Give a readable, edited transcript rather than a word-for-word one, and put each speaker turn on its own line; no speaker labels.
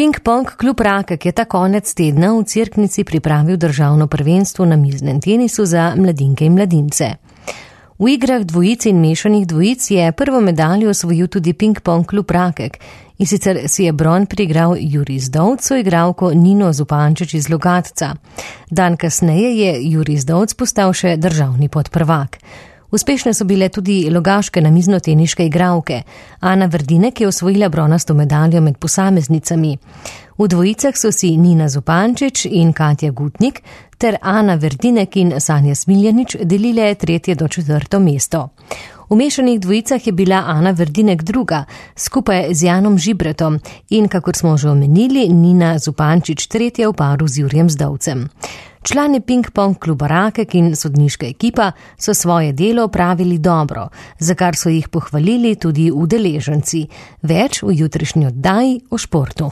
Ping-pong klub Rakek je ta konec tedna v Cerknici pripravil državno prvenstvo na miznem tenisu za mladinke in mladince. V igrah dvojic in mešanih dvojic je prvo medaljo osvojil tudi Ping-pong klub Rakek, in sicer si je bron priigral Jurij Zdovc, igralko Nino Zupančič iz Logatca. Dan kasneje je Jurij Zdovc postal še državni podprvak. Uspešne so bile tudi logaške namiznoteniške igralke. Ana Verdinek je osvojila bronasto medaljo med posameznicami. V dvojicah so si Nina Zupančič in Katja Gutnik ter Ana Verdinek in Sanja Smiljanič delile 3. do 4. mesto. V mešanih dvojicah je bila Ana Verdinek druga, skupaj z Janom Žibretom in, kakor smo že omenili, Nina Zupančič tretja v paru z Jurijem Zdovcem. Člani Ping-pong kluba Rakek in sodniška ekipa so svoje delo opravili dobro, za kar so jih pohvalili tudi udeleženci. Več v jutrišnji oddaji o športu.